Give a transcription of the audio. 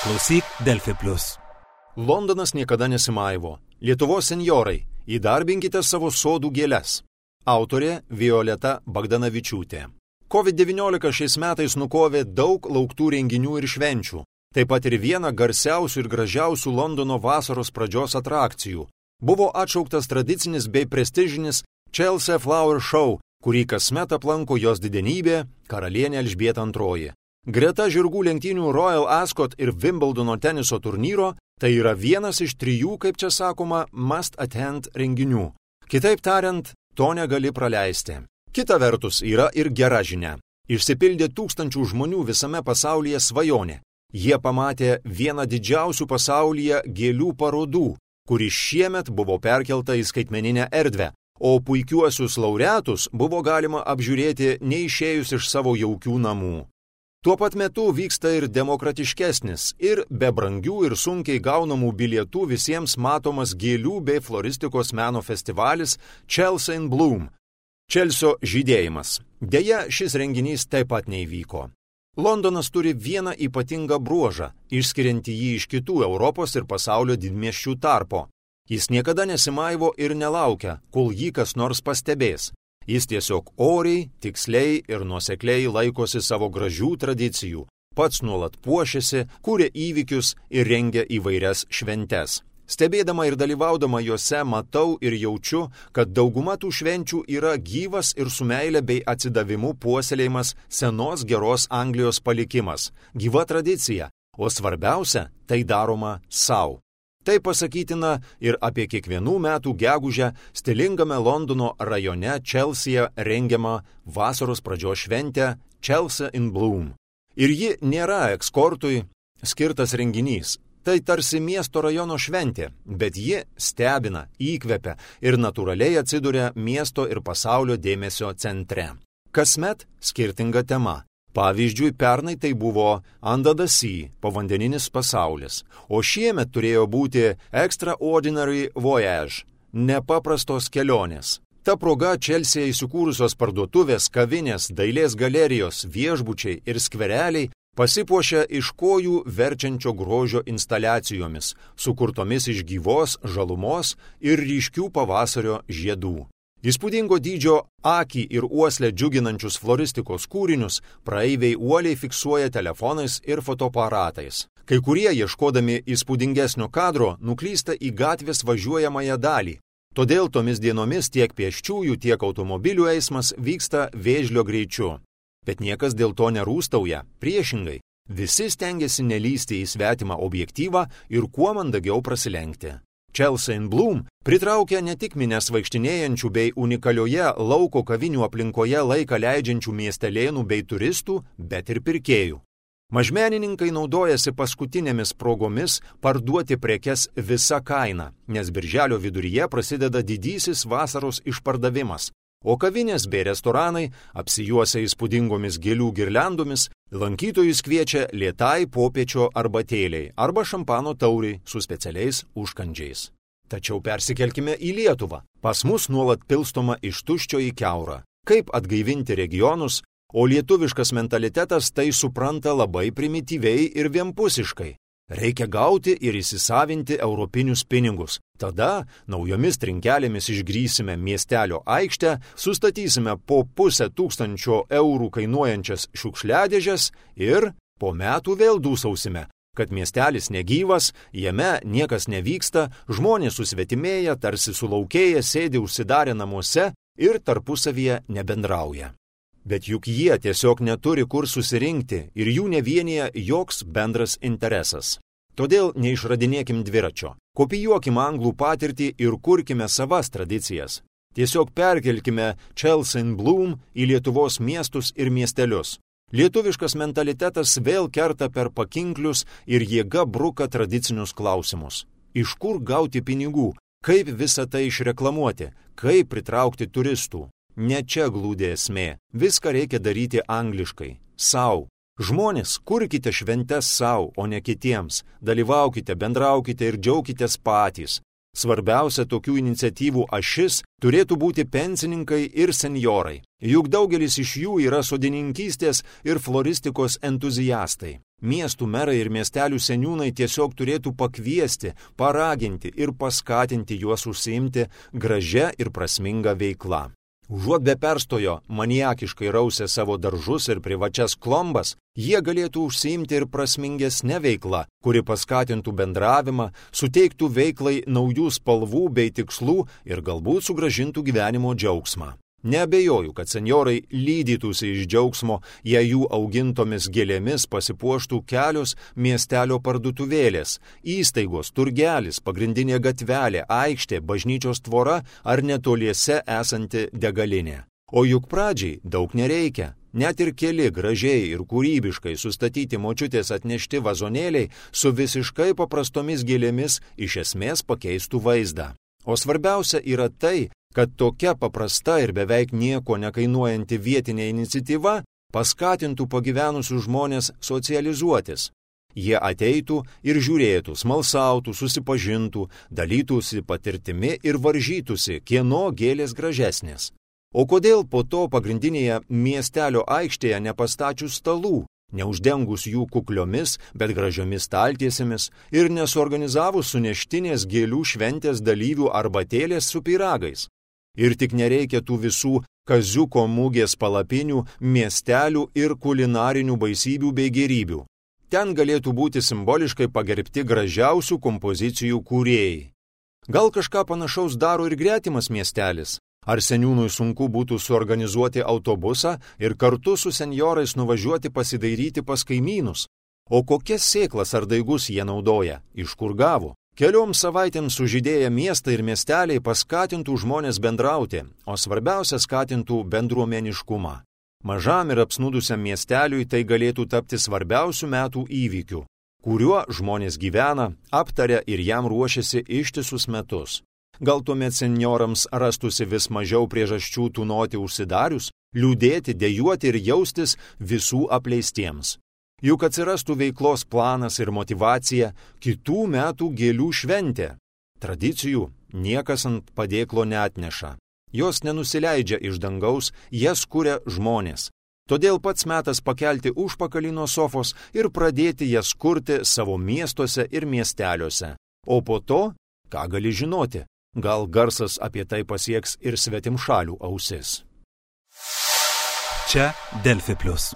Klausyk Delfi Plus. Londonas niekada nesimaivo. Lietuvos senjorai, įdarbinkite savo sodų gėles. Autorė Violeta Bagdanavičiūtė. COVID-19 šiais metais nukovė daug lauktų renginių ir švenčių. Taip pat ir vieną garsiausių ir gražiausių Londono vasaros pradžios atrakcijų. Buvo atšauktas tradicinis bei prestižinis Chelsea Flower Show, kurį kasmet aplanko jos didenybė karalienė Elžbieta II. Greta žirgų lenktynių Royal Ascot ir Wimbledono teniso turnyro, tai yra vienas iš 3, kaip čia sakoma, must attend renginių. Kitaip tariant, to negali praleisti. Kita vertus yra ir gera žinia. Išsipildė tūkstančių žmonių visame pasaulyje svajonė. Jie pamatė vieną didžiausių pasaulyje gėlių parodų, kuri šiemet buvo perkelta į skaitmeninę erdvę, o puikiuosius laureatus buvo galima apžiūrėti neišėjus iš savo jaukių namų. Tuo pat metu vyksta ir demokratiškesnis, ir be brangių ir sunkiai gaunamų bilietų visiems matomas gėlių bei floristikos meno festivalis Chelsea in Bloom. Čelsio žydėjimas. Deja, šis renginys taip pat neįvyko. Londonas turi vieną ypatingą bruožą, išskiriantį jį iš kitų Europos ir pasaulio didmiesčių tarpo. Jis niekada nesimaivo ir nelaukia, kol jį kas nors pastebės. Jis tiesiog oriai, tiksliai ir nuosekliai laikosi savo gražių tradicijų, pats nuolat puošiasi, kuria įvykius ir rengia įvairias šventes. Stebėdama ir dalyvaudama juose matau ir jaučiu, kad dauguma tų švenčių yra gyvas ir su meile bei atsidavimu puoselėjimas senos geros Anglijos palikimas, gyva tradicija, o svarbiausia, tai daroma sau. Tai pasakytina ir apie kiekvienų metų gegužę stilingame Londono rajone Chelsea rengiamą vasaros pradžios šventę Chelsea in Bloom. Ir ji nėra ekskortui skirtas renginys. Tai tarsi miesto rajono šventė, bet ji stebina, įkvepia ir natūraliai atsiduria miesto ir pasaulio dėmesio centre. Kasmet skirtinga tema. Pavyzdžiui, pernai tai buvo Under the Sea, povandeninis pasaulis, o šiemet turėjo būti Extraordinary Voyage, nepaprastos kelionės. Ta proga Chelsea įsikūrusios parduotuvės, kavinės, dailės galerijos, viešbučiai ir skvereliai pasipuošia iš kojų verčiančio grožio instaliacijomis, sukurtomis iš gyvos žalumos ir ryškių pavasario žiedų. Įspūdingo dydžio akį ir uoslę džiuginančius floristikos kūrinius praeiviai uoliai fiksuoja telefonais ir fotoaparatais. Kai kurie, ieškodami įspūdingesnio kadro, nuklysta į gatvės važiuojamąją dalį. Todėl tomis dienomis tiek pėsčiųjų, tiek automobilių eismas vyksta vėžlio greičiu. Bet niekas dėl to nerūstauja, priešingai. Visi stengiasi nelysti į svetimą objektyvą ir kuo mandagiau prasilenkti. Chelsea in Bloom pritraukia ne tik minias vaikštinėjančių bei unikalioje lauko kavinių aplinkoje laiką leidžiančių miestelėnų bei turistų, bet ir pirkėjų. Mažmenininkai naudojasi paskutinėmis progomis parduoti prekes visa kaina, nes birželio viduryje prasideda didysis vasaros išpardavimas, o kavinės bei restoranai, apsijuosia įspūdingomis gėlių girliandomis, lankytojus kviečia lėtai popiečio arbatėliai arba šampano tauriai su specialiais užkandžiais. Tačiau persikelkime į Lietuvą. Pas mus nuolat pilstoma iš tuščio į kiaurą. Kaip atgaivinti regionus, o lietuviškas mentalitetas tai supranta labai primityviai ir vienpusiškai. Reikia gauti ir įsisavinti europinius pinigus. Tada naujomis trinkelėmis išgrįsime miestelio aikštę, sustatysime po 500 eurų kainuojančias šiukšliadėžes ir po metų vėl dūsausime, kad miestelis negyvas, jame niekas nevyksta, žmonės susvetimėja, tarsi sulaukėję sėdi užsidarę namuose ir tarpusavyje nebendrauja. Bet juk jie tiesiog neturi kur susirinkti ir jų nevienyje joks bendras interesas. Todėl neišradinėkim dviračio, kopijuokim anglų patirtį ir kurkime savas tradicijas. Tiesiog perkelkime Chelsea in Bloom į Lietuvos miestus ir miestelius. Lietuviškas mentalitetas vėl kerta per pakinklius ir jėga bruka tradicinius klausimus. Iš kur gauti pinigų, kaip visą tai išreklamuoti, kaip pritraukti turistų. Ne čia glūdi esmė. Viską reikia daryti angliškai. Sau. Žmonės, kurkite šventes sau, o ne kitiems. Dalyvaukite, bendraukite ir džiaukitės patys. Svarbiausia tokių iniciatyvų ašis turėtų būti pensininkai ir senjorai. Juk daugelis iš jų yra sodininkystės ir floristikos entuziastai. Miestų merai ir miestelių seniūnai tiesiog turėtų pakviesti, paraginti ir paskatinti juos užsiimti gražia ir prasminga veikla. Užuot be perstojo maniakiškai rausę savo daržus ir privačias klombas, jie galėtų užsiimti ir prasmingesnę veiklą, kuri paskatintų bendravimą, suteiktų veiklai naujų spalvų bei tikslų ir galbūt sugrąžintų gyvenimo džiaugsmą. Neabejoju, kad senjorai lydytųsi iš džiaugsmo, jei jų augintomis gėlėmis pasipuoštų kelios miestelio parduotuvėlės, įstaigos, turgelis, pagrindinė gatvelė, aikštė, bažnyčios tvora ar netoliese esanti degalinė. O juk pradžiai daug nereikia. Net ir keli gražiai ir kūrybiškai sustatyti močiutės atnešti vazonėliai su visiškai paprastomis gėlėmis iš esmės pakeistų vaizdą. O svarbiausia yra tai, kad tokia paprasta ir beveik nieko nekainuojanti vietinė iniciatyva paskatintų pagyvenusius žmonės socializuotis. Jie ateitų ir žiūrėtų, smalsautų, susipažintų, dalytųsi patirtimi ir varžytųsi, kieno gėlės gražesnės. O kodėl po to pagrindinėje miestelio aikštėje nepastačius stalų, neuždengus jų kukliomis, bet gražiomis staltiesėmis ir nesuorganizavus suneštinės gėlių šventės dalyvių arbatėlės su pyragais? Ir tik nereikia tų visų kaziuko mugės palapinių, miestelių ir kulinarinių baisybių bei gėrybių. Ten galėtų būti simboliškai pagerbti gražiausių kompozicijų kūrėjai. Gal kažką panašaus daro ir gretimas miestelis? Ar seniūnui sunku būtų suorganizuoti autobusą ir kartu su senjorais nuvažiuoti pasidairyti pas kaimynus? O kokias sėklas ar daigus jie naudoja? Iš kur gavo? Kelioms savaitėms sužydėję miestai ir miesteliai paskatintų žmonės bendrauti, o svarbiausia skatintų bendruomeniškumą. Mažam ir apsnūdusiam miesteliui tai galėtų tapti svarbiausių metų įvykių, kuriuo žmonės gyvena, aptaria ir jam ruošiasi ištisus metus. Gal tuomet senjorams rastųsi vis mažiau priežasčių tūnoti užsidarius, liūdėti, dejuoti ir jaustis visų apleistiems. Juk atsirastų veiklos planas ir motyvacija kitų metų gėlių šventė. Tradicijų niekas ant padėklo neatneša. Jos nenusileidžia iš dangaus, jas kuria žmonės. Todėl pats metas pakelti užpakalį nuo sofos ir pradėti jas kurti savo miestuose ir miesteliuose. O po to, ką gali žinoti, gal garsas apie tai pasieks ir svetimšalių ausis. Čia Delfi Plus.